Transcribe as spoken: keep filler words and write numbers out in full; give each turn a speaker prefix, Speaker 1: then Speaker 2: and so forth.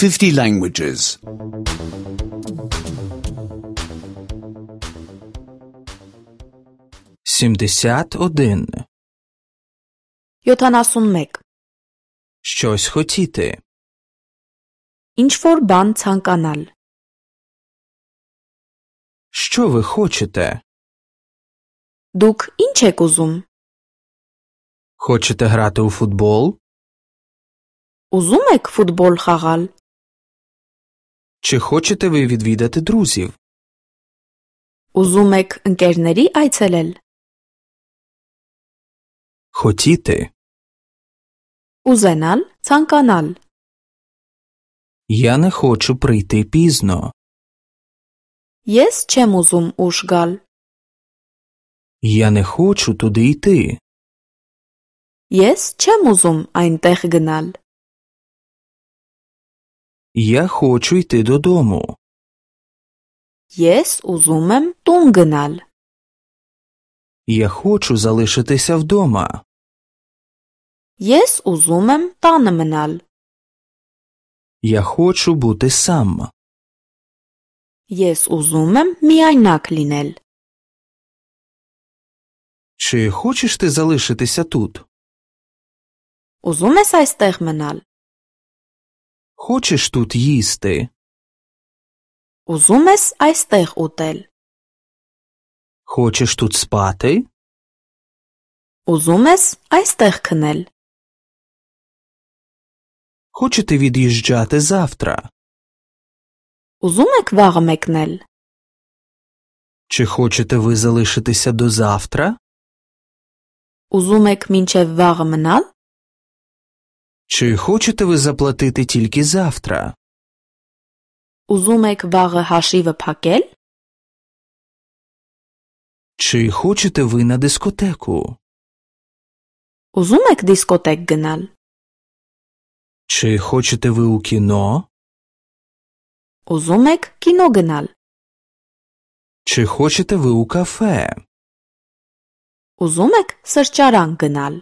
Speaker 1: fifty languages.
Speaker 2: сімдесят один.
Speaker 3: յոթանասունմեկ.
Speaker 2: Щось хотіти.
Speaker 3: Ինչ-որ բան ցանկանալ.
Speaker 2: Що ви хочете?
Speaker 3: Դուք ինչ եք ուզում?
Speaker 2: Хочете грати у футбол?
Speaker 3: Ուզում եք ֆուտբոլ խաղալ?
Speaker 2: Чи хочете ви відвідати друзів?
Speaker 3: Ուզում եք ընկերների այցելել?
Speaker 2: Хотіти.
Speaker 3: Ուզենալ, ցանկանալ.
Speaker 2: Я не хочу прийти пізно.
Speaker 3: Ես չեմ ուզում ուշ գալ.
Speaker 2: Я не хочу туди йти.
Speaker 3: Ես չեմ ուզում այնտեղ գնալ.
Speaker 2: Я хочу йти додому.
Speaker 3: Ես ուզում եմ տուն գնալ.
Speaker 2: Я хочу залишитися вдома.
Speaker 3: Ես ուզում եմ տանը մնալ.
Speaker 2: Я хочу бути сам.
Speaker 3: Ես ուզում եմ միայնակ լինել.
Speaker 2: Чи хочеш ти залишитися тут?
Speaker 3: Ուզում ես այստեղ մնալ?
Speaker 2: Хочеш тут їсти?
Speaker 3: Ուզում ես այստեղ ուտել?
Speaker 2: Хочеш тут спати?
Speaker 3: Ուզում ես այստեղ քնել?
Speaker 2: Хочете від'їжджати завтра?
Speaker 3: Ուզում եք վաղը մեկնել?
Speaker 2: Чи хочете ви залишитися до завтра?
Speaker 3: Ուզում եք մինչև վաղը մնալ?
Speaker 2: Чи хочете ви заплатити тільки завтра?
Speaker 3: Ուզում եք վաղը հաշիվը փակել?
Speaker 2: Чи хочете ви на дискотеку?
Speaker 3: Ուզում եք դիսկոտեկ գնալ?
Speaker 2: Чи хочете ви у кіно?
Speaker 3: Ուզում եք կինո գնալ?
Speaker 2: Чи хочете ви у кафе?
Speaker 3: Ուզում եք սրճարան գնալ?